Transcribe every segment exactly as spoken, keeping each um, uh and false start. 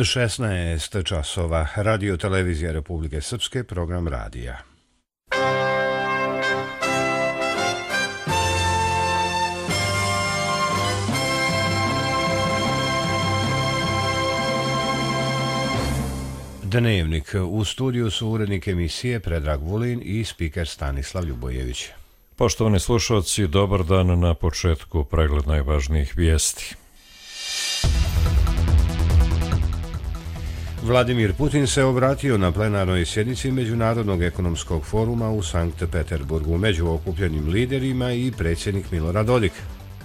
šesnaest časova. Radio televizija Republike Srpske, program radija. Dnevnik. U studiju su urednik emisije Predrag Vulin i spiker Stanislav Ljubojević. Poštovani slušalci, dobar dan. Na početku pregled najvažnijih vijesti. Vladimir Putin se obratio na plenarnoj sjednici Međunarodnog ekonomskog foruma u Sankt Peterburgu. Među okupljenim liderima i predsjednik Milorad Dodik.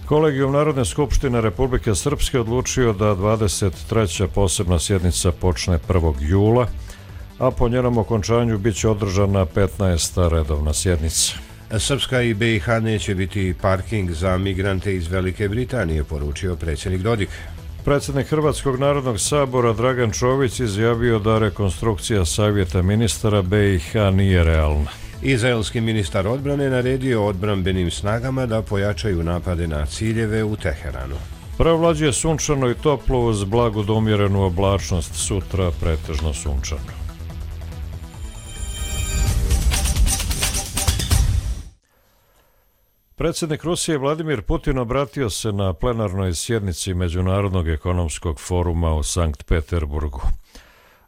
Kolegijum Narodne skupštine Republike Srpske odlučio da dvadeset treća posebna sjednica počne prvog jula, a po njenom okončanju bit će održana petnaesta redovna sjednica. Srpska i B i H neće biti parking za migrante iz Velike Britanije, poručio predsjednik Dodik. Predsjednik Hrvatskog narodnog sabora Dragan Čović izjavio da rekonstrukcija savjeta ministara B i H nije realna. Izraelski ministar odbrane naredio odbrambenim snagama da pojačaju napade na ciljeve u Teheranu. Preovlađuje sunčano i toplo uz blagu do umjerenu oblačnost, sutra pretežno sunčano. Predsjednik Rusije Vladimir Putin obratio se na plenarnoj sjednici Međunarodnog ekonomskog foruma u Sankt Peterburgu.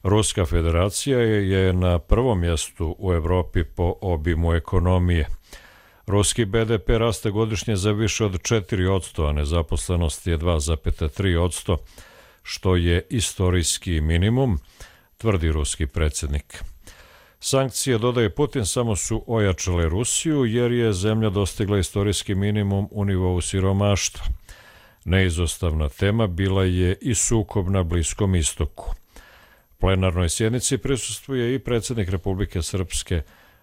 Ruska federacija je na prvom mjestu u Europi po obimu ekonomije. Ruski B D P raste godišnje za više od četiri posto, a nezaposlenost je dva zarez tri posto, što je istorijski minimum, tvrdi ruski predsjednik. Sankcije, dodaje Putin, samo su ojačale Rusiju jer je zemlja dostigla istorijski minimum u nivou siromaštva. Neizostavna tema bila je i sukob na Bliskom istoku. Plenarnoj sjednici prisustvuje i predsjednik Republike Srpske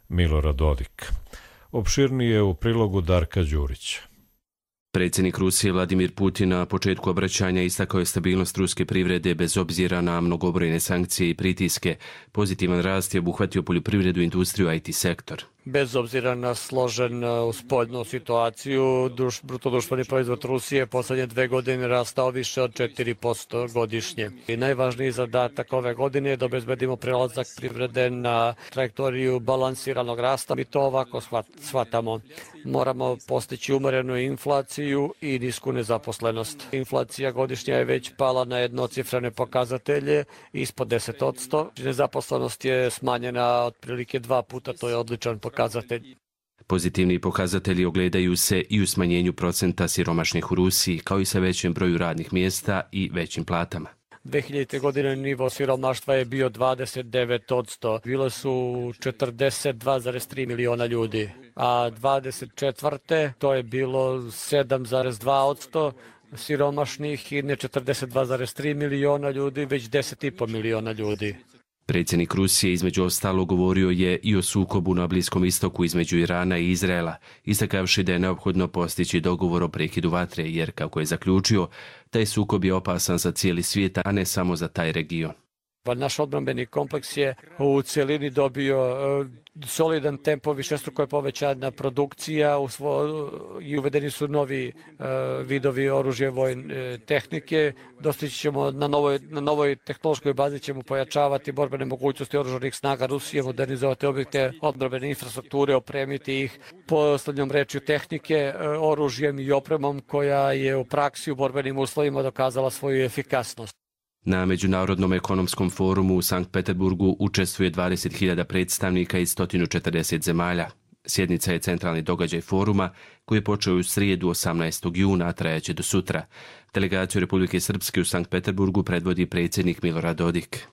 Milorad Dodik. Opširnije u prilogu Darka Đurića. Predsjednik Rusije Vladimir Putin na početku obraćanja istakao je stabilnost ruske privrede bez obzira na mnogobrojne sankcije i pritiske. Pozitivan rast je obuhvatio poljoprivredu, industriju, I T sektor. Bez obzira na složenu spoljnu situaciju, druš, bruto društveni proizvod Rusije posljednje dve godine rastao više od četiri posto godišnje. I najvažniji zadatak ove godine je da obezbedimo prelazak privrede na trajektoriju balansiranog rasta. Mi to ovako shvatamo. Moramo postići umerenu inflaciju i nisku nezaposlenost. Inflacija godišnja je već pala na jednocifrene pokazatelje ispod deset posto. Nezaposlenost je smanjena otprilike dva puta, to je odličan pokazatelj. Pozitivni pokazatelji ogledaju se i u smanjenju procenta siromašnih u Rusiji, kao i sa većim broju radnih mjesta i većim platama. dve hiljadite. godine nivo siromaštva je bio dvadeset devet posto. Bilo su četrdeset dva zarez tri miliona ljudi, a dvadeset četvrte. to je bilo sedam zarez dva posto siromašnih i ne četrdeset dva zarez tri miliona ljudi, već deset i po miliona ljudi. Predsjednik Rusije između ostalog govorio je i o sukobu na Bliskom istoku između Irana i Izraela, istakavši da je neophodno postići dogovor o prekidu vatre, jer, kako je zaključio, taj sukob je opasan za cijeli svijet, a ne samo za taj region. Naš odbrambeni kompleks je u cijelini dobio solidan tempo, višestruko je povećana produkcija i uvedeni su novi vidovi oružja vojne tehnike. Dostići ćemo na novoj, na novoj tehnološkoj bazi ćemo pojačavati borbene mogućnosti oružanih snaga Rusije, modernizovati objekte odbrambene infrastrukture, opremiti ih poslednjom rečju tehnike, oružjem i opremom koja je u praksi u borbenim uslovima dokazala svoju efikasnost. Na Međunarodnom ekonomskom forumu u Sankt Peterburgu učestvuje dvadeset hiljada predstavnika iz sto četrdeset zemalja. Sjednica je centralni događaj foruma koji je počeo u srijedu osamnaestog juna, a trajaće do sutra. Delegaciju Republike Srpske u Sankt Peterburgu predvodi predsjednik Milorad Dodik.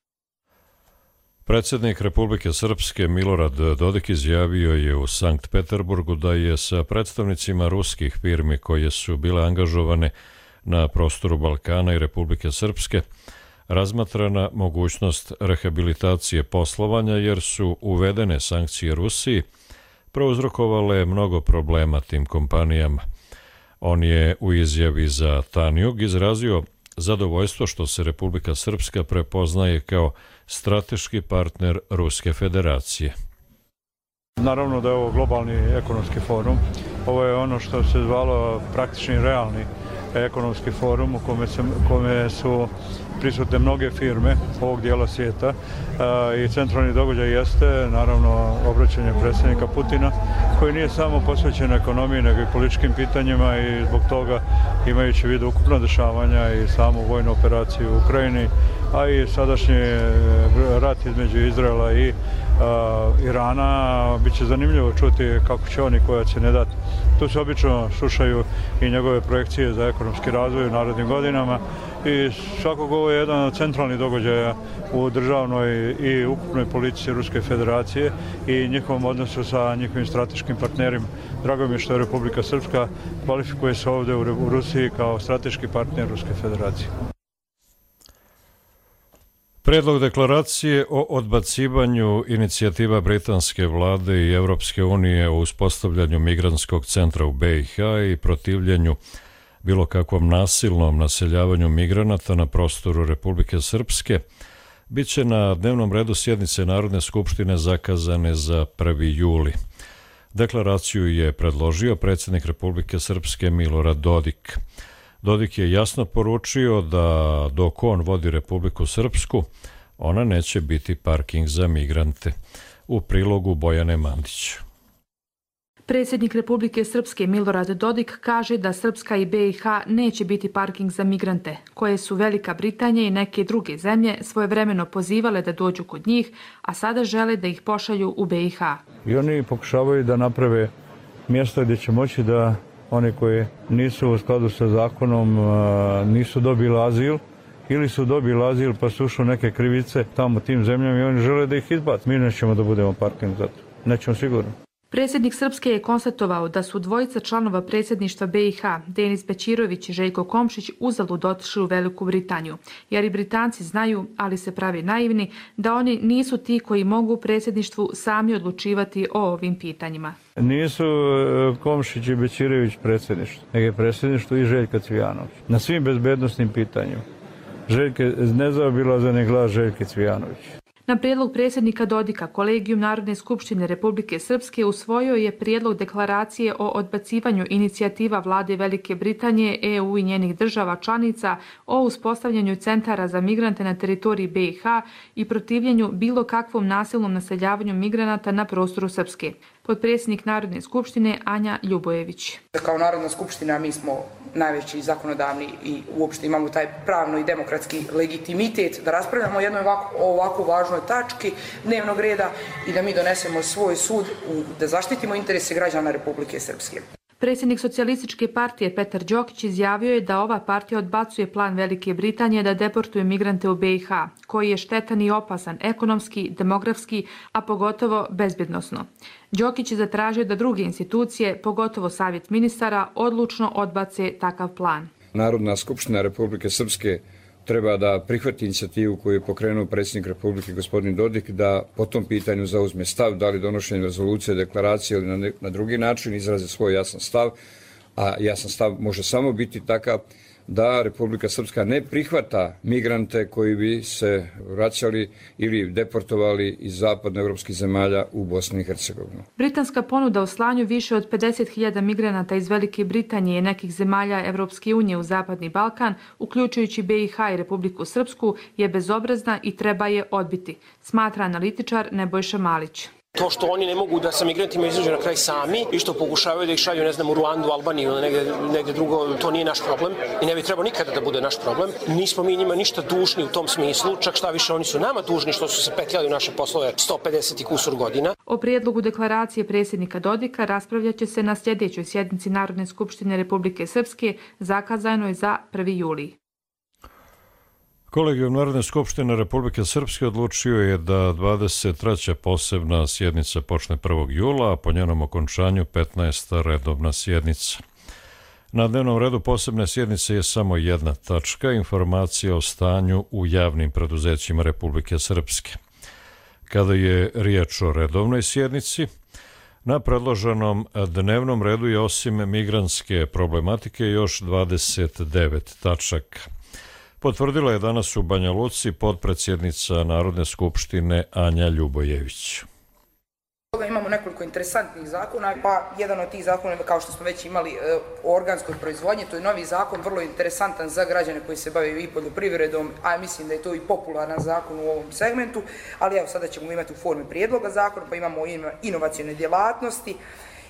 Predsjednik Republike Srpske Milorad Dodik izjavio je u Sankt Peterburgu da je sa predstavnicima ruskih firmi koje su bile angažovane na prostoru Balkana i Republike Srpske razmatrana mogućnost rehabilitacije poslovanja jer su uvedene sankcije Rusiji prouzrokovale mnogo problema tim kompanijama. On je u izjavi za Tanjug izrazio zadovoljstvo što se Republika Srpska prepoznaje kao strateški partner Ruske federacije. Naravno da je ovo globalni ekonomski forum. Ovo je ono što se zvalo praktični realni ekonomski forum u kome, se, kome su prisutne mnoge firme ovog dijela svijeta i centralni događaj jeste naravno obraćanje predsjednika Putina koji nije samo posvećen ekonomiji nego i političkim pitanjima i zbog toga imajući u vidu ukupno dešavanja i samu vojnu operaciju u Ukrajini, a i sadašnji rat između Izraela i uh, Irana, bit će zanimljivo čuti kako će oni koja će ne dati. Tu se obično slušaju i njegove projekcije za ekonomski razvoj u narednim godinama i svakako ovo je jedan od centralnih događaja u državnoj i ukupnoj politici Ruske federacije i njihovom odnosu sa njihovim strateškim partnerima. Drago mi je što je Republika Srpska kvalifikuje se ovdje u Rusiji kao strateški partner Ruske federacije. Predlog deklaracije o odbacivanju inicijativa britanske vlade i Europske unije o uspostavljanju migrantskog centra u B i H i protivljenju bilo kakvom nasilnom naseljavanju migranata na prostoru Republike Srpske bit će na dnevnom redu sjednice Narodne skupštine zakazane za prvi juli. Deklaraciju je predložio predsjednik Republike Srpske Milorad Dodik. Dodik je jasno poručio da dok on vodi Republiku Srpsku, ona neće biti parking za migrante. U prilogu Bojane Mandić. Predsjednik Republike Srpske Milorad Dodik kaže da Srpska i B i H neće biti parking za migrante, koje su Velika Britanija i neke druge zemlje svojevremeno pozivale da dođu kod njih, a sada žele da ih pošalju u B i H. I oni pokušavaju da naprave mjesto gdje će moći da oni koji nisu u skladu sa zakonom nisu dobili azil ili su dobili azil pa su ušli neke krivice tamo tim zemljama i oni žele da ih izbaci. Mi nećemo da budemo parking za to. Nećemo sigurno. Predsjednik Srpske je konstatovao da su dvojica članova predsjedništva B i H, Denis Bećirović i Željko Komšić, uzalud otišli u Veliku Britaniju, jer i Britanci znaju, ali se pravi naivni, da oni nisu ti koji mogu u predsjedništvu sami odlučivati o ovim pitanjima. Nisu Komšić i Bećirović predsjedništvo, nego je predsjedništvo i Željka Cvijanović. Na svim bezbednostnim pitanjima. Željke, nezaobilazan je glas Željke Cvijanović. Na prijedlog predsjednika Dodika, Kolegijum Narodne skupštine Republike Srpske usvojio je prijedlog deklaracije o odbacivanju inicijativa vlade Velike Britanije, E U i njenih država članica o uspostavljanju centara za migrante na teritoriji B i H i protivljenju bilo kakvom nasilnom naseljavanju migranata na prostoru Srpske. Potpredsjednik Narodne skupštine Anja Ljubojević. Kao Narodna skupština mi smo najveći zakonodavni i uopšte imamo taj pravno i demokratski legitimitet da raspravljamo o jednoj ovako, ovako važnoj tački dnevnog reda i da mi donesemo svoj sud, da zaštitimo interese građana Republike Srpske. Predsjednik Socijalističke partije Petar Đokić izjavio je da ova partija odbacuje plan Velike Britanije da deportuje migrante u B i H, koji je štetan i opasan ekonomski, demografski, a pogotovo bezbjednosno. Đokić je zatražio da druge institucije, pogotovo Savjet ministara, odlučno odbace takav plan. Narodna skupština Republike Srpske treba da prihvati inicijativu koju je pokrenuo predsjednik Republike gospodin Dodik da po tom pitanju zauzme stav, da li donošenje rezolucije, deklaracije ili na, ne, na drugi način izraze svoj jasan stav, a jasan stav može samo biti takav da Republika Srpska ne prihvata migrante koji bi se vraćali ili deportovali iz zapadnoevropskih zemalja u Bosnu i Hercegovinu. Britanska ponuda o slanju više od pedeset hiljada migranata iz Velike Britanije i nekih zemalja Evropske unije u Zapadni Balkan, uključujući B i H i Republiku Srpsku, je bezobrazna i treba je odbiti, smatra analitičar Nebojša Malić. To što oni ne mogu da sa migrantima izađu na kraj sami i što pokušavaju da ih šalju, ne znam, u Ruandu, Albaniju ili negde, negde drugo, to nije naš problem i ne bi trebao nikada da bude naš problem. Nismo mi njima ništa dužni u tom smislu, čak šta više oni su nama dužni što su se petljali u naše poslove sto pedeset i kusur godina. O prijedlogu deklaracije predsjednika Dodika raspravljaće se na sljedećoj sjednici Narodne skupštine Republike Srpske, zakazanoj za prvi juli. Kolegijum Narodne skupštine Republike Srpske odlučio je da dvadeset treća posebna sjednica počne prvog jula, a po njenom okončanju petnaesta redovna sjednica. Na dnevnom redu posebne sjednice je samo jedna tačka, informacija o stanju u javnim preduzećima Republike Srpske. Kada je riječ o redovnoj sjednici, na predloženom dnevnom redu je osim migrantske problematike još dvadeset devet tačaka. Potvrdila je danas u Banja Luci potpredsjednica Narodne skupštine Anja Ljubojević. Imamo imamo nekoliko interesantnih zakona, pa jedan od tih zakona, kao što smo već imali o organskoj proizvodnji, to je novi zakon, vrlo interesantan za građane koji se bave i poljoprivredom, a mislim da je to i popularan zakon u ovom segmentu, ali evo sada ćemo imati u formi prijedloga zakona, pa imamo inovacione djelatnosti,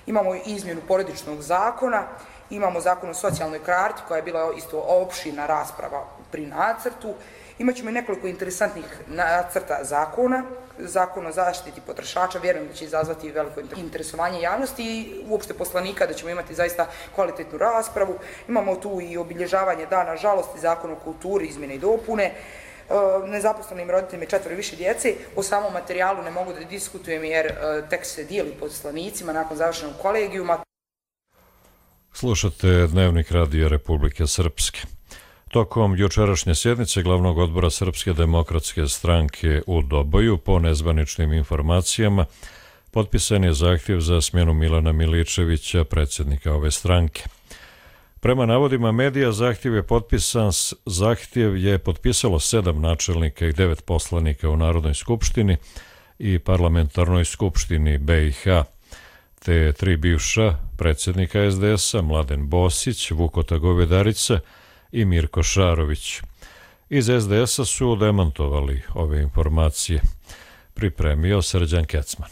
imamo izmjenu porodičnog zakona, imamo zakon o socijalnoj karti koja je bila isto opširna rasprava pri nacrtu. Imaćemo i nekoliko interesantnih nacrta zakona, zakon o zaštiti potrošača, vjerujem da će izazvati veliko interesovanje javnosti i uopšte poslanika, da ćemo imati zaista kvalitetnu raspravu. Imamo tu i obilježavanje dana žalosti, zakon o kulturi, izmjene i dopune, nezaposlenim roditeljima i četvoro više djece. O samom materijalu ne mogu da diskutujem jer tek se dijeli poslanicima nakon završenog kolegijuma. Slušate Dnevnik Radija Republike Srpske. Tokom jučerašnje sjednice Glavnog odbora Srpske demokratske stranke u Doboju, po nezvaničnim informacijama, potpisan je zahtjev za smjenu Milana Miličevića, predsjednika ove stranke. Prema navodima medija, zahtjev je potpisan, zahtjev je potpisalo sedam načelnika i devet poslanika u Narodnoj skupštini i Parlamentarnoj skupštini B i H, te tri bivša predsjednika es de es a, Mladen Bosić, Vukota Govedarica i Mirko Šarović. Iz es de es a su demantovali ove informacije. Pripremio Srđan Kecman.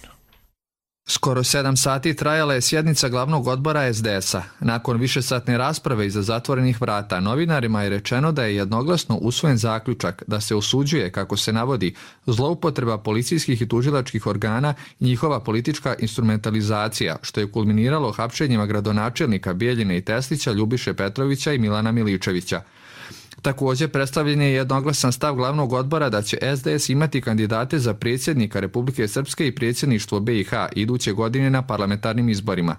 Skoro sedam sati trajala je sjednica Glavnog odbora es de es a. Nakon višesatne rasprave iza zatvorenih vrata, novinarima je rečeno da je jednoglasno usvojen zaključak da se osuđuje, kako se navodi, zloupotreba policijskih i tužilačkih organa i njihova politička instrumentalizacija, što je kulminiralo hapšenjima gradonačelnika Bijeljine i Teslića, Ljubiše Petrovića i Milana Miličevića. Također predstavljen je jednoglasan stav Glavnog odbora da će es de es imati kandidate za predsjednika Republike Srpske i predsjedništvo B i H iduće godine na parlamentarnim izborima.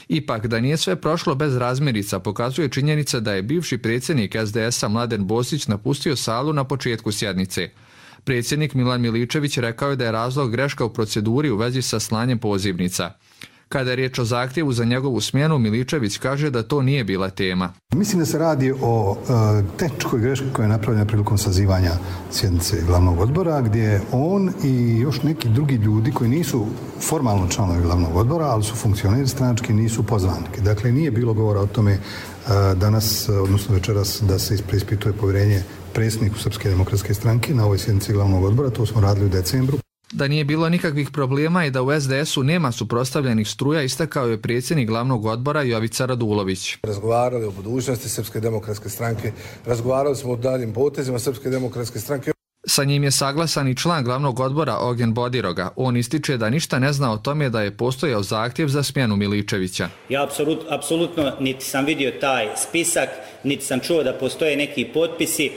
Ipak, da nije sve prošlo bez razmirica, pokazuje činjenica da je bivši predsjednik es de es a Mladen Bosić napustio salu na početku sjednice. Predsjednik Milan Miličević rekao je da je razlog greška u proceduri u vezi sa slanjem pozivnica. Kada je riječ o zahtjevu za njegovu smjenu, Miličević kaže da to nije bila tema. Mislim da se radi o uh, tehničkoj greški koja je napravljena prilikom sazivanja sjednice Glavnog odbora, gdje on i još neki drugi ljudi koji nisu formalno članovi Glavnog odbora, ali su funkcioneri stranački, nisu pozvani. Dakle, nije bilo govora o tome uh, danas, odnosno večeras, da se preispituje povjerenje predsjedniku Srpske demokratske stranke na ovoj sjednici Glavnog odbora. To smo radili u decembru. Da nije bilo nikakvih problema i da u es de es u nema suprotstavljenih struja, istakao je predsjednik Glavnog odbora Jovica Radulović. Razgovarali o budućnosti Srpske demokratske stranke, razgovarali smo o daljim potezima Srpske demokratske stranke. Sa njim je saglasan i član Glavnog odbora Ognjen Bodiroga. On ističe da ništa ne zna o tome da je postojao zahtjev za smjenu Miličevića. Ja apsolut, apsolutno niti sam vidio taj spisak, niti sam čuo da postoje neki potpisi.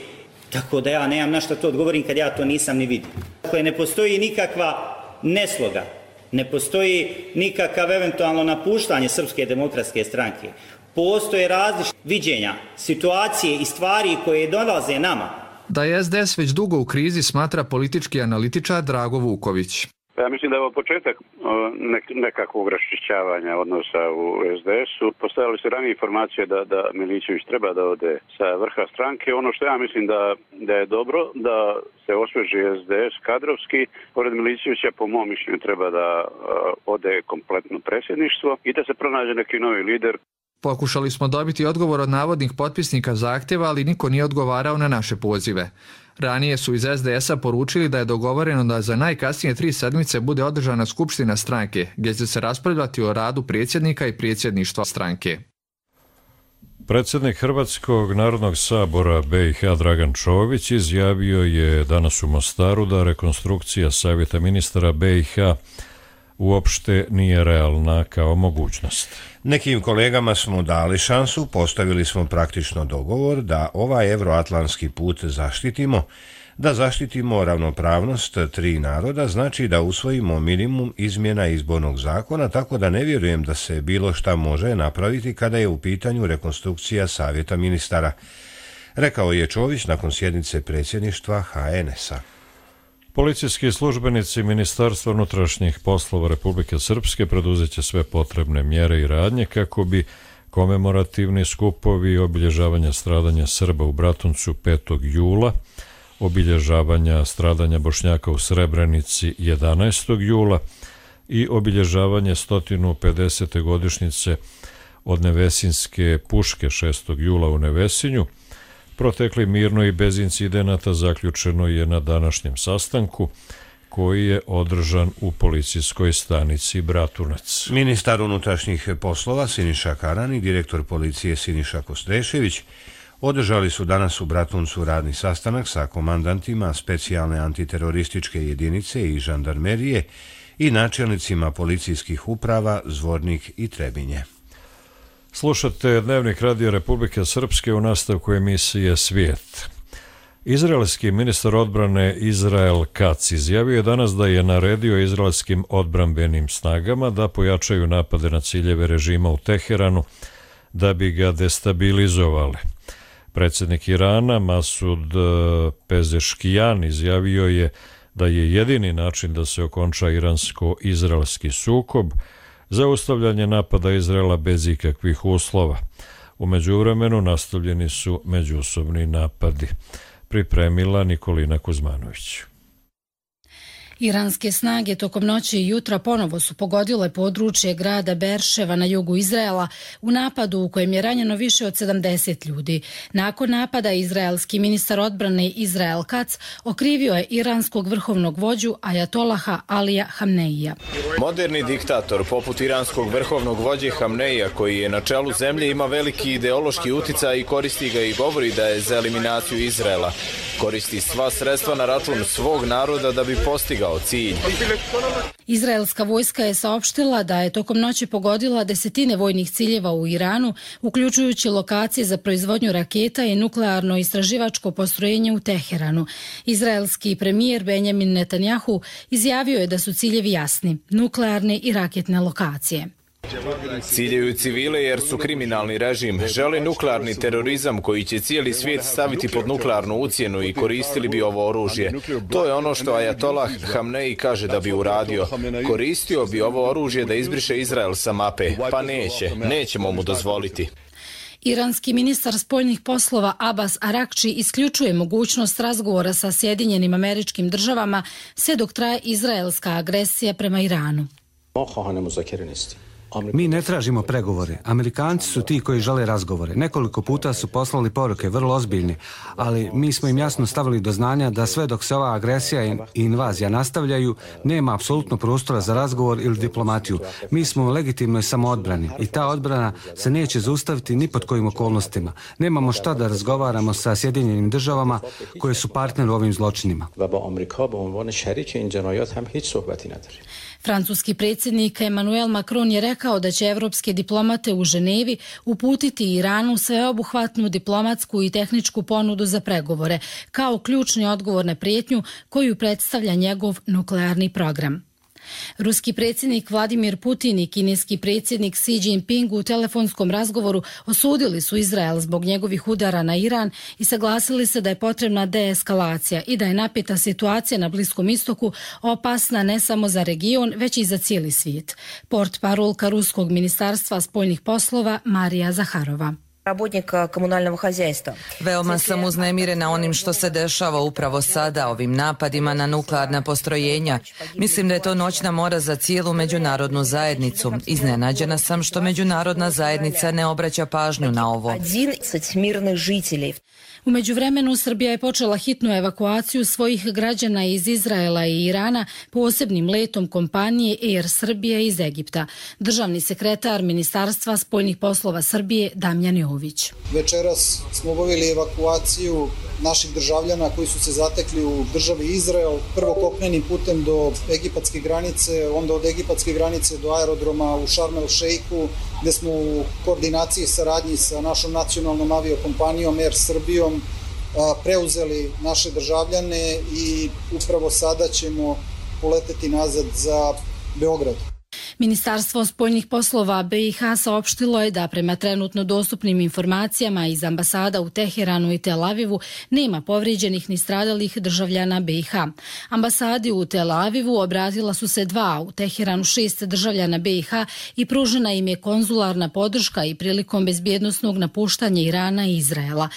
Tako da ja nemam na što to odgovorim kad ja to nisam ni vidio. Dakle, ne postoji nikakva nesloga, ne postoji nikakav eventualno napuštanje Srpske demokratske stranke. Postoje različite viđenja, situacije i stvari koje dolaze nama. Da je es de es već dugo u krizi, smatra politički analitičar Drago Vuković. Ja mislim da je ovo početak nekakvog raščišćavanja odnosa u es de es u. Postojali su ranije informacije da, da Miličević treba da ode sa vrha stranke. Ono što ja mislim da, da je dobro, da se osveži es de es kadrovski. Pored Miličevića, po mom mišljenju, treba da ode kompletno predsjedništvo i da se pronađe neki novi lider. Pokušali smo dobiti odgovor od navodnih potpisnika zahtjeva, ali niko nije odgovarao na naše pozive. Ranije su iz es de es a poručili da je dogovoreno da za najkasnije tri sedmice bude održana skupština stranke, gdje će se raspravljati o radu predsjednika i predsjedništva stranke. Predsjednik Hrvatskog narodnog sabora be i ha Dragan Čović izjavio je danas u Mostaru da rekonstrukcija savjeta ministara be i ha uopšte nije realna kao mogućnost. Nekim kolegama smo dali šansu, postavili smo praktično dogovor da ovaj evroatlantski put zaštitimo, da zaštitimo ravnopravnost tri naroda, znači da usvojimo minimum izmjena izbornog zakona, tako da ne vjerujem da se bilo šta može napraviti kada je u pitanju rekonstrukcija savjeta ministara, rekao je Čović nakon sjednice predsjedništva ha en es a. Policijski službenici Ministarstva unutrašnjih poslova Republike Srpske preduzet će sve potrebne mjere i radnje kako bi komemorativni skupovi i obilježavanja stradanja Srba u Bratuncu petog jula, obilježavanja stradanja Bošnjaka u Srebrenici jedanaestog jula i obilježavanje sto pedesete godišnjice od Nevesinske puške šestog jula u Nevesinju protekli mirno i bez incidenata zaključeno je na današnjem sastanku koji je održan u policijskoj stanici Bratunac. Ministar unutrašnjih poslova Siniša Karan i direktor policije Siniša Kostrešević održali su danas u Bratuncu radni sastanak sa komandantima specijalne antiterorističke jedinice i žandarmerije i načelnicima policijskih uprava Zvornik i Trebinje. Slušate Dnevnik Radio Republike Srpske u nastavku emisije Svijet. Izraelski ministar odbrane Izrael Katz izjavio je danas da je naredio izraelskim odbrambenim snagama da pojačaju napade na ciljeve režima u Teheranu da bi ga destabilizovali. Predsjednik Irana Masud Pezeškijan izjavio je da je jedini način da se okonča iransko-izraelski sukob zaustavljanje napada Izraela bez ikakvih uslova. U međuvremenu nastavljeni su međusobni napadi. Pripremila Nikolina Kuzmanović. Iranske snage tokom noći i jutra ponovo su pogodile područje grada Berševa na jugu Izraela u napadu u kojem je ranjeno više od sedamdeset ljudi. Nakon napada izraelski ministar odbrane Izrael Katz okrivio je iranskog vrhovnog vođu Ajatolaha Alija Hamneija. Moderni diktator poput iranskog vrhovnog vođe Hamneija koji je na čelu zemlje ima veliki ideološki uticaj i koristi ga i govori da je za eliminaciju Izraela. Koristi sva sredstva na račun svog naroda da bi postigao cilj. Izraelska vojska je saopštila da je tokom noći pogodila desetine vojnih ciljeva u Iranu, uključujući lokacije za proizvodnju raketa i nuklearno istraživačko postrojenje u Teheranu. Izraelski premijer Benjamin Netanjahu izjavio je da su ciljevi jasni, nuklearne i raketne lokacije. Ciljaju civile jer su kriminalni režim, žele nuklearni terorizam koji će cijeli svijet staviti pod nuklearnu ucjenu i koristili bi ovo oružje. To je ono što Ajatolah Hamneji kaže da bi uradio. Koristio bi ovo oružje da izbriše Izrael sa mape. Pa neće, nećemo mu dozvoliti. Iranski ministar spoljnih poslova Abbas Arakči isključuje mogućnost razgovora sa Sjedinjenim Američkim Državama sve dok traje izraelska agresija prema Iranu. Mi ne tražimo pregovore. Amerikanci su ti koji žele razgovore. Nekoliko puta su poslali poruke, vrlo ozbiljne, ali mi smo im jasno stavili do znanja da sve dok se ova agresija i invazija nastavljaju, nema apsolutno prostora za razgovor ili diplomatiju. Mi smo u legitimnoj samoodbrani i ta odbrana se neće zaustaviti ni pod kojim okolnostima. Nemamo šta da razgovaramo sa Sjedinjenim Državama koje su partner u ovim zločinima. Francuski predsjednik Emmanuel Macron je rekao da će evropske diplomate u Ženevi uputiti Iranu sveobuhvatnu diplomatsku i tehničku ponudu za pregovore, kao ključni odgovor na prijetnju koju predstavlja njegov nuklearni program. Ruski predsjednik Vladimir Putin i kineski predsjednik Xi Jinping u telefonskom razgovoru osudili su Izrael zbog njegovih udara na Iran i saglasili se da je potrebna deeskalacija i da je napeta situacija na Bliskom istoku opasna ne samo za region, već i za cijeli svijet. Portparolka Ruskog ministarstva spoljnih poslova Marija Zaharova. Veoma sam uznemirena onim što se dešava upravo sada, ovim napadima na nuklearna postrojenja. Mislim da je to noćna mora za cijelu međunarodnu zajednicu. Iznenađena sam što međunarodna zajednica ne obraća pažnju na ovo. U međuvremenu Srbija je počela hitnu evakuaciju svojih građana iz Izraela i Irana posebnim letom kompanije Air Srbije iz Egipta. Državni sekretar Ministarstva spoljnih poslova Srbije Damjan Jović. Večeras smo obavili evakuaciju naših državljana koji su se zatekli u državi Izrael, prvo kopnenim putem do egipatske granice, onda od egipatske granice do aerodroma u Šarm el Šeiku, gde smo u koordinaciji i saradnji sa našom nacionalnom aviokompanijom Air Srbijom preuzeli naše državljane i upravo sada ćemo poleteti nazad za Beograd. Ministarstvo spoljnih poslova B i H saopštilo je da prema trenutno dostupnim informacijama iz ambasada u Teheranu i Tel Avivu nema povrijeđenih ni stradalih državljana B i H. Ambasadi u Tel Avivu obratila su se dva, u Teheranu šest državljana B i H i pružena im je konzularna podrška i prilikom bezbjednosnog napuštanja Irana i Izraela.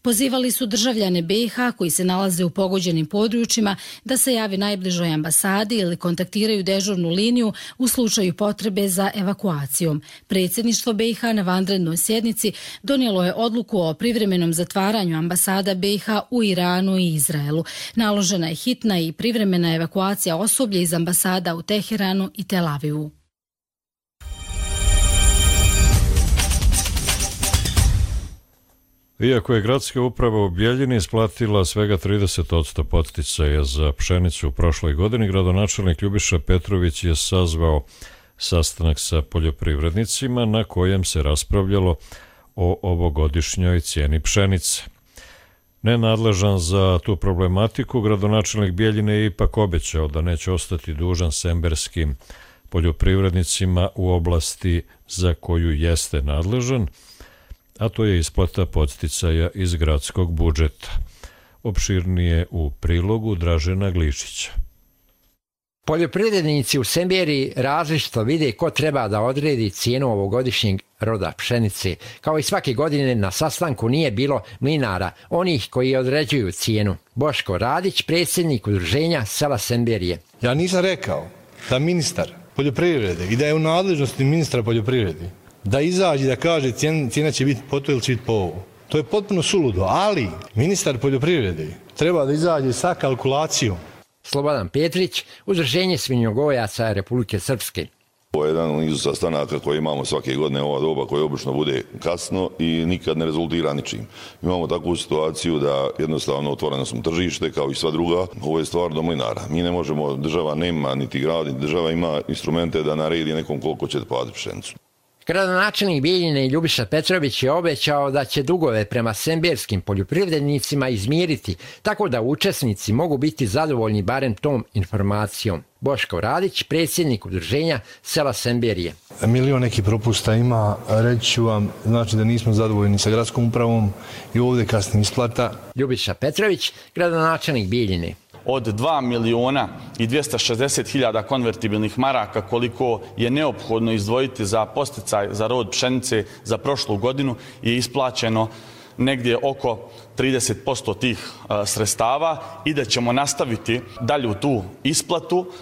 Pozivali su državljane B i H koji se nalaze u pogođenim područjima da se javi najbližoj ambasadi ili kontaktiraju dežurnu liniju u slučaju potrebe za evakuacijom. Predsjedništvo B i H na vanrednoj sjednici donijelo je odluku o privremenom zatvaranju ambasada B i H u Iranu i Izraelu. Naložena je hitna i privremena evakuacija osoblja iz ambasada u Teheranu i Tel Avivu. Iako je gradska uprava u Bjeljini isplatila svega trideset posto podsticaja za pšenicu u prošloj godini, gradonačelnik Ljubiša Petrović je sazvao sastanak sa poljoprivrednicima na kojem se raspravljalo o ovogodišnjoj cijeni pšenice. Nenadležan za tu problematiku, gradonačelnik Bjeljine je ipak obećao da neće ostati dužan semberskim poljoprivrednicima u oblasti za koju jeste nadležan, a to je isplata podsticaja iz gradskog budžeta. Opširnije u prilogu Dražena Glišića. Poljoprivrednici u Semberiji različito vide ko treba da odredi cijenu ovogodišnjeg roda pšenice. Kao i svake godine na sastanku nije bilo mlinara, onih koji određuju cijenu. Boško Radić, predsjednik udruženja sela Semberije. Ja nisam rekao da ministar poljoprivrede i da je u nadležnosti ministra poljoprivrede da izađe da kaže cijena, cijena će biti po to ili će biti po ovo. To je potpuno suludo, ali ministar poljoprivrede treba da izađe sa kalkulacijom. Slobodan Petrić, udruženje svinjogojaca Republike Srpske. Ovo je jedan u nizu sastanaka koje imamo svake godine ova doba koje obično bude kasno i nikad ne rezultira ničim. Imamo takvu situaciju da jednostavno otvoreno smo tržište kao i sva druga. Ovo je stvar do mlinara. Mi ne možemo, država nema niti grad, niti država ima instrumente da naredi nekom koliko će platiti pšenicu. Gradonačelnik Bjeljine Ljubiša Petrović je obećao da će dugove prema semberskim poljoprivrednicima izmiriti, tako da učesnici mogu biti zadovoljni barem tom informacijom. Boško Radić, predsjednik udruženja sela Semberije. Milion neki propusta ima, reći ću vam, znači da nismo zadovoljni sa gradskom upravom i ovdje kasni isplata. Ljubiša Petrović, gradonačelnik Bjeljine. Od dva miliona i dvjesto šezdeset hiljada konvertibilnih maraka koliko je neophodno izdvojiti za posticaj za rod pšenice za prošlu godinu je isplaćeno negdje oko trideset posto tih sredstava i da ćemo nastaviti dalju tu isplatu.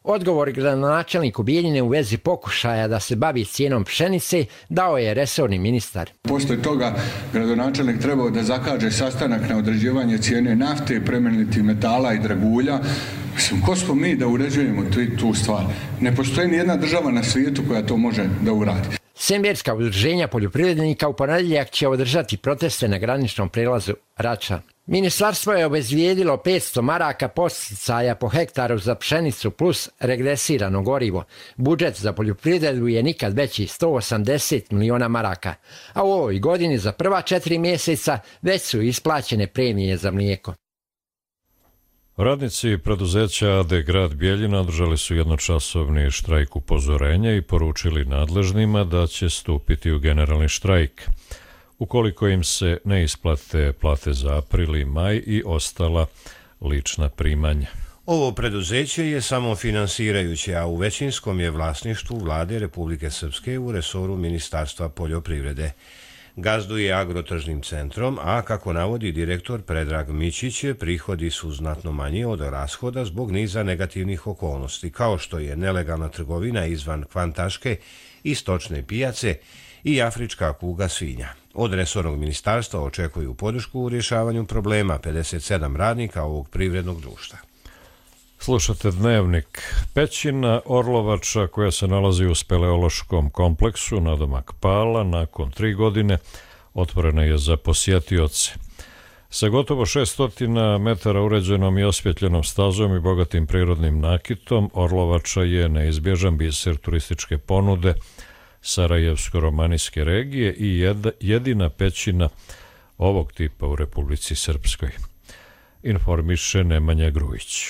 Odgovor gradonačelniku Bjeljine u vezi pokušaja da se bavi cijenom pšenice dao je resorni ministar. Poslije toga gradonačelnik trebao da zakaže sastanak na određivanje cijene nafte, plemenitih metala i dragulja. Mislim, ko smo mi da uređujemo tu, tu stvar? Ne postoji ni jedna država na svijetu koja to može da uradi. Semberska udruženja poljoprivrednika u ponedjeljak će održati proteste na graničnom prelazu Rača. Ministarstvo je obezvijedilo petsto maraka podsticaja po hektaru za pšenicu plus regresirano gorivo. Budžet za poljoprivredu je nikad veći, sto osamdeset miliona maraka. A u ovoj godini za prva četiri mjeseca već su isplaćene premije za mlijeko. Radnici preduzeća A D Grad Bjeljina održali su jednočasovni štrajk upozorenja i poručili nadležnima da će stupiti u generalni štrajk ukoliko im se ne isplate plate za april i maj i ostala lična primanja. Ovo preduzeće je samofinansirajuće, a u većinskom je vlasništvu Vlade Republike Srpske u resoru Ministarstva poljoprivrede. Gazduje agrotržnim centrom, a kako navodi direktor Predrag Mićić, prihodi su znatno manji od rashoda zbog niza negativnih okolnosti, kao što je nelegalna trgovina izvan Kvantaške i stočne pijace i afrička kuga svinja. Od resornog ministarstva očekuju podršku u rješavanju problema pedeset sedam radnika ovog privrednog društva. Slušate Dnevnik. Pećina Orlovača, koja se nalazi u speleološkom kompleksu nadomak Pala, nakon tri godine otvorena je za posjetioce. Sa gotovo šesnaest metara uređenom i osvjetljenom stazom i bogatim prirodnim nakitom, Orlovača je neizbježan biser turističke ponude Sarajevsko-romanijske regije i jedina pećina ovog tipa u Republici Srpskoj. Informiše Nemanja Grujić.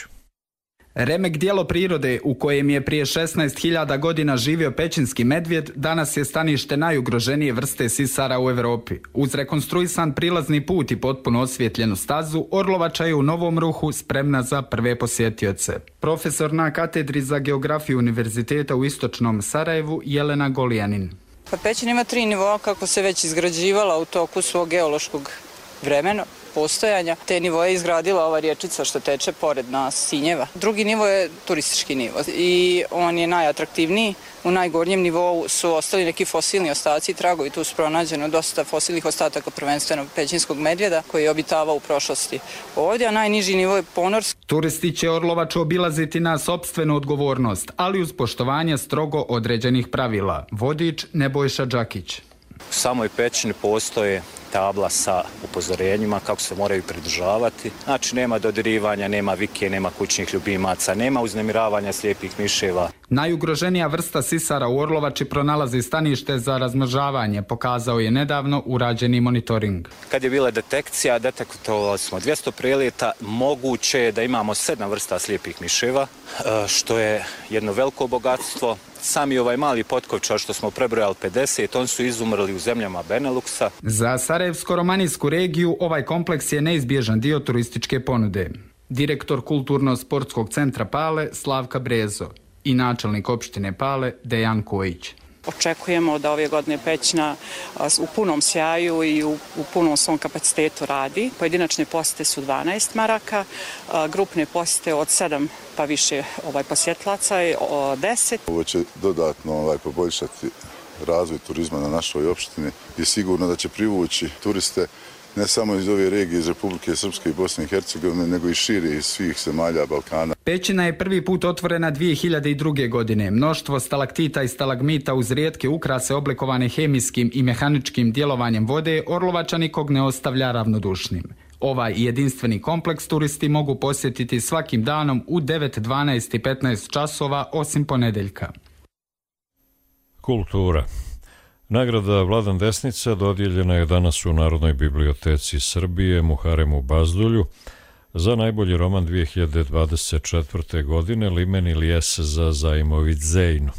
Remek dijelo prirode u kojem je prije šesnaest hiljada godina živio pećinski medvjed, danas je stanište najugroženije vrste sisara u Europi. Uz rekonstruisan prilazni put i potpuno osvjetljenu stazu, Orlovača je u novom ruhu spremna za prve posjetioce. Profesor na katedri za geografiju Univerziteta u istočnom Sarajevu, Jelena Golijanin. Pa Pećin ima tri nivoa kako se već izgrađivala u toku svog geološkog vremena postojanja. Te nivoje je izgradila ova riječica što teče pored nas, Sinjeva. Drugi nivo je turistički nivo i on je najatraktivniji. U najgornjem nivou su ostali neki fosilni ostaci i tragovi. Tu su pronađeno dosta fosilnih ostataka, prvenstveno pećinskog medvjeda koji je obitavao u prošlosti ovdje, a najniži nivo je ponorski. Turisti će Orlovaču obilaziti na sopstvenu odgovornost, ali uz poštovanje strogo određenih pravila. Vodič Nebojša Đakić. U samoj pećini postoje tabla sa upozorenjima kako se moraju pridržavati. Znači nema dodirivanja, nema vike, nema kućnih ljubimaca, nema uznemiravanja slijepih miševa. Najugroženija vrsta sisara u Orlovači pronalazi stanište za razmnožavanje, pokazao je nedavno urađeni monitoring. Kad je bila detekcija, detektovali smo dvjesto preleta, moguće je da imamo sedam vrsta slijepih miševa, što je jedno veliko bogatstvo. Sami ovaj mali potkovčar što smo prebrojali pedeset, on su izumrli u zemljama Beneluxa. Za Sarajevsko-romanijsku regiju ovaj kompleks je neizbježan dio turističke ponude. Direktor Kulturno-sportskog centra Pale Slavka Brezo i načelnik opštine Pale Dejan Kojić. Očekujemo da ove godine Pećina u punom sjaju i u, u punom svom kapacitetu radi. Pojedinačne posjete su dvanaest maraka, grupne posjete od sedam pa više ovaj, posjetlaca je deset. Ovo će dodatno ovaj, poboljšati razvoj turizma na našoj opštini i sigurno da će privući turiste ne samo iz ove regije, iz Republike Srpske i Bosne i Hercegovine, nego i šire iz svih zemalja Balkana. Pećina je prvi put otvorena dvije hiljade druge. godine. Mnoštvo stalaktita i stalagmita uz rijetke ukrase oblikovane hemijskim i mehaničkim djelovanjem vode Orlovača nikog ne ostavlja ravnodušnim. Ovaj jedinstveni kompleks turisti mogu posjetiti svakim danom u devet, dvanaest i petnaest časova osim ponedeljka. Kultura. Nagrada Vladan Desnica dodijeljena je danas u Narodnoj biblioteci Srbije Muharemu Bazdulju za najbolji roman dvije hiljade dvadeset četvrte. godine Limen Ilijes za Zajmović Zejnu.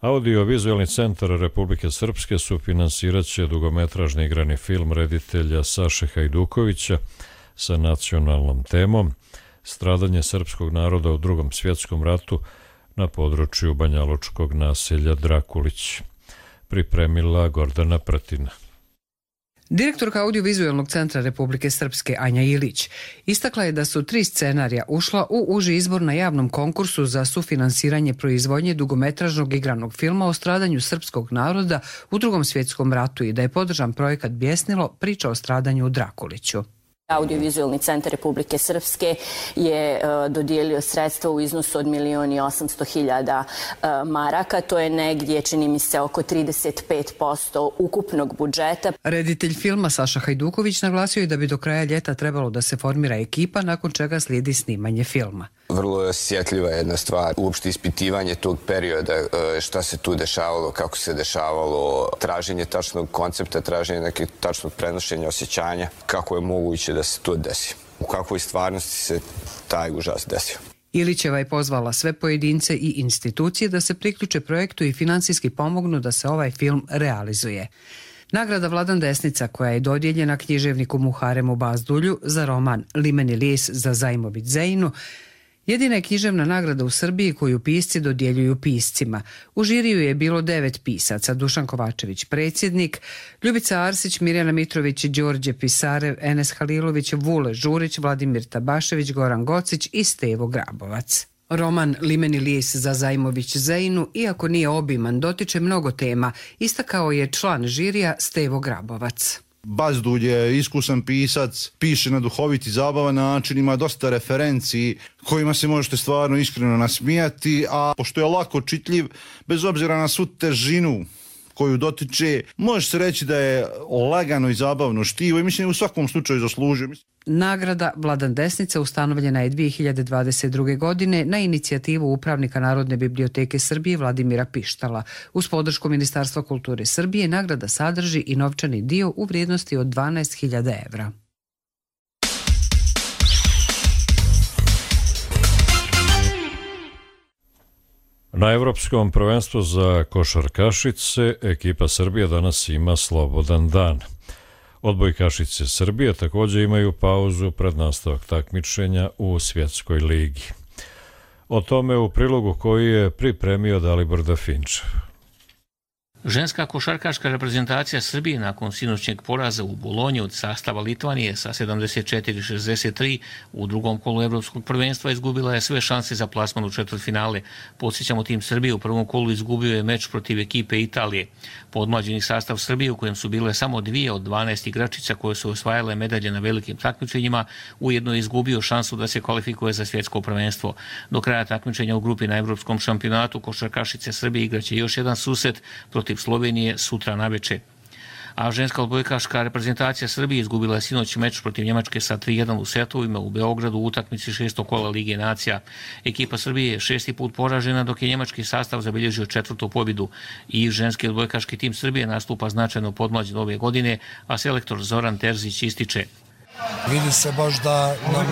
Audio-vizualni centar Republike Srpske sufinansirat će dugometražni igrani film reditelja Saše Hajdukovića sa nacionalnom temom Stradanje srpskog naroda u Drugom svjetskom ratu na području banjalučkog naselja Drakulić. Pripremila Gordana Pratina. Direktorka Audio-vizualnog centra Republike Srpske Anja Ilić istakla je da su tri scenarija ušla u uži izbor na javnom konkursu za sufinansiranje proizvodnje dugometražnog igranog filma o stradanju srpskog naroda u Drugom svjetskom ratu i da je podržan projekat Bjesnilo, priča o stradanju u Drakuliću. Audio-vizualni centar Republike Srpske je uh, dodijelio sredstva u iznosu od milijon i osamsto hiljada uh, maraka. To je negdje, čini mi se, oko trideset pet posto ukupnog budžeta. Reditelj filma Saša Hajduković naglasio je da bi do kraja ljeta trebalo da se formira ekipa, nakon čega slijedi snimanje filma. Vrlo je osjetljiva jedna stvar, uopšte ispitivanje tog perioda, šta se tu dešavalo, kako se dešavalo, traženje tačnog koncepta, traženje nekih tačnog prenošenja osjećanja, kako je moguće da se to desi, u kakvoj stvarnosti se taj užas desio. Ilićeva je pozvala sve pojedince i institucije da se priključe projektu i finansijski pomognu da se ovaj film realizuje. Nagrada Vladan Desnica, koja je dodijeljena književniku Muharemu Bazdulju za roman Limen Ilijes za Zajmović Zejnu, jedina je književna nagrada u Srbiji koju pisci dodjeljuju piscima. U žiriju je bilo devet pisaca: Dušan Kovačević, predsjednik, Ljubica Arsić, Mirjana Mitrović, Đorđe Pisarev, Enes Halilović, Vule Žurić, Vladimir Tabašević, Goran Gocić i Stevo Grabovac. Roman Limen Ilijes za Zajmović Zejnu, iako nije obiman, dotiče mnogo tema, istakao je član žirija Stevo Grabovac. Bazdulj je iskusan pisac, piše na duhovit i zabavan način, ima dosta referenci kojima se možete stvarno iskreno nasmijati, a pošto je lako čitljiv, bez obzira na svu težinu koju dotiče, može se reći da je lagano i zabavno štivo i mislim u svakom slučaju zaslužio. Nagrada Vladan Desnica ustanovljena je dvije hiljade dvadeset druge. godine na inicijativu upravnika Narodne biblioteke Srbije Vladimira Pištala. Uz podršku Ministarstva kulture Srbije nagrada sadrži i novčani dio u vrijednosti od dvanaest hiljada evra. Na Evropskom prvenstvu za košarkašice ekipa Srbije danas ima slobodan dan. Odbojkašice Srbije također imaju pauzu pred nastavak takmičenja u Svjetskoj ligi. O tome u prilogu koji je pripremio Dalibor Dafinčev. Ženska košarkaška reprezentacija Srbije nakon sinoćnjeg poraza u Bolonji od sastava Litvanije sa sedamdeset četiri šezdeset tri u drugom kolu evropskog prvenstva izgubila je sve šanse za plasman u četvrtfinale. Podsjećamo, tim Srbije u prvom kolu izgubio je meč protiv ekipe Italije. Podmlađeni sastav Srbije u kojem su bile samo dvije od dvanaest igračica koje su osvajale medalje na velikim takmičenjima ujedno je izgubio šansu da se kvalifikuje za svjetsko prvenstvo. Do kraja takmičenja u grupi na evropskom šampionatu košarkašice Srbije igraće još jedan susret protiv Slovenije sutra naveče. A ženska odbojkaška reprezentacija Srbije izgubila je sinoć meč protiv Njemačke sa tri jedan u setovima u Beogradu u utakmici šestog kola Lige nacija. Ekipa Srbije je šesti put poražena dok je njemački sastav zabilježio četvrtu pobjedu. I ženski odbojkaški tim Srbije nastupa značajno podmlađen ove godine, a selektor Zoran Terzić ističe: Vidi se baš da nam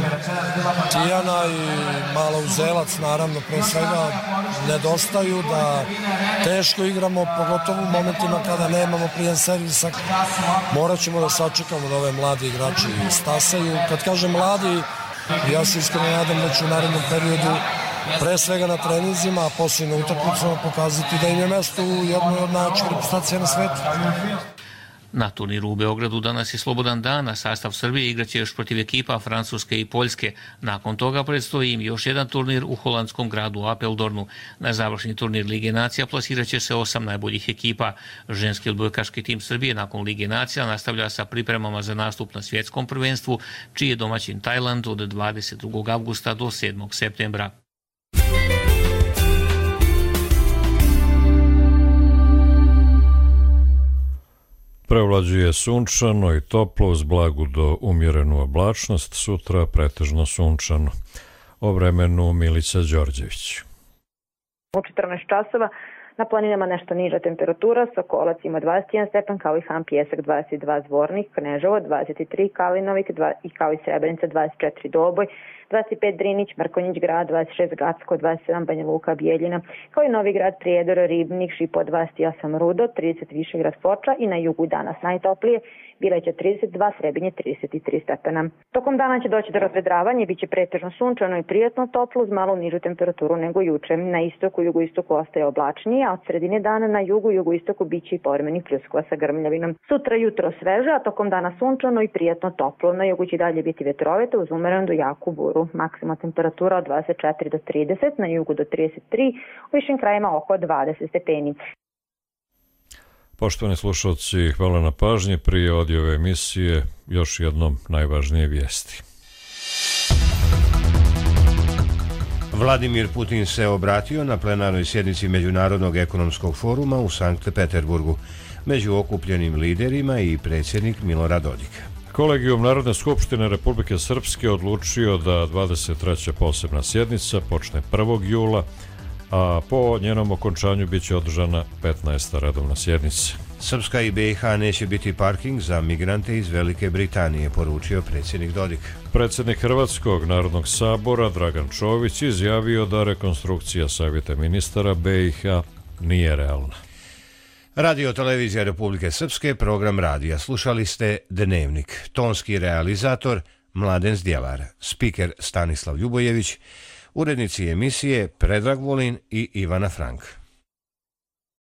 Tijana i malo Uzelac, naravno, pre svega nedostaju, da teško igramo, pogotovo u momentima kada nemamo prijem servisa. Morat ćemo da sačekamo da ove mladi igrači stasaju. Kad kažem mladi, ja se iskreno nadam da ću u narednom periodu pre svega na treninzima, a poslije na utakmicama pokazati da im je mesto u jednoj od najjačih reprezentacija na svetu. Na turniru u Beogradu danas je slobodan dan, a sastav Srbije igraće još protiv ekipa Francuske i Poljske. Nakon toga predstoji im još jedan turnir u holandskom gradu Apeldornu. Na završni turnir Lige nacija plasiraće se osam najboljih ekipa. Ženski odbojkaški tim Srbije nakon Lige nacija nastavlja sa pripremama za nastup na svjetskom prvenstvu, čiji je domaćin Tajland od dvadeset drugog avgusta do sedmog septembra. Prevlađuje sunčano i toplo uz blagu do umjerenu oblačnost, sutra pretežno sunčano. O vremenu Milica Đorđević. U četrnaest časova na planinama nešto niža temperatura, Sokolac ima dvadeset jedan stepen, kao i Han Pjesak dvadeset dva, Zvornik, Kneževo dvadeset tri, Kalinovik i kao i Srebrenica dvadeset četiri, Doboj dvadeset pet, Drinić, Mrkonjić grad dvadeset šest, Gacko dvadeset sedam, Banja Luka, Bijeljina, kao i Novi grad, Prijedor, Ribnik, Šipo dvadeset osam, Rudo trideset, Višegrad, Foča i na jugu danas najtoplije, Bileća trideset dva, Srebinje trideset tri stepena. Tokom dana će doći do razvedravanja i bit će pretežno sunčano i prijatno toplo uz malo nižu temperaturu nego juče. Na istoku i jugoistoku ostaje oblačnije, a od sredine dana na jugu i jugoistoku bit će i povremenih pljuskova sa grmljavinom. Sutra jutro sveže, a tokom dana sunčano i prijatno toplo. Na jugu će dalje biti vetrovito uz umerenu do jaku buru. Maksimalna temperatura od dvadeset četiri do trideset, na jugu do trideset tri, u višim krajima oko dvadeset stepeni. Poštovani slušalci, hvala na pažnji. Prije odjave emisije još jednom najvažnije vijesti. Vladimir Putin se obratio na plenarnoj sjednici Međunarodnog ekonomskog foruma u Sankt Peterburgu. Među okupljenim liderima i predsjednik Milorad Dodik. Kolegijum Narodne skupštine Republike Srpske odlučio da dvadeset treća posebna sjednica počne prvog jula, a po njenom okončanju bit će održana petnaesta redovna sjednica. Srpska i B i H neće biti parking za migrante iz Velike Britanije, poručio predsjednik Dodik. Predsjednik Hrvatskog narodnog sabora Dragan Čović izjavio da rekonstrukcija savjeta ministara B i H nije realna. Radio televizija Republike Srpske, program radija. Slušali ste Dnevnik. Tonski realizator Mladen Zdjelar, spiker Stanislav Ljubojević, urednici emisije Predrag Volin i Ivana Frank.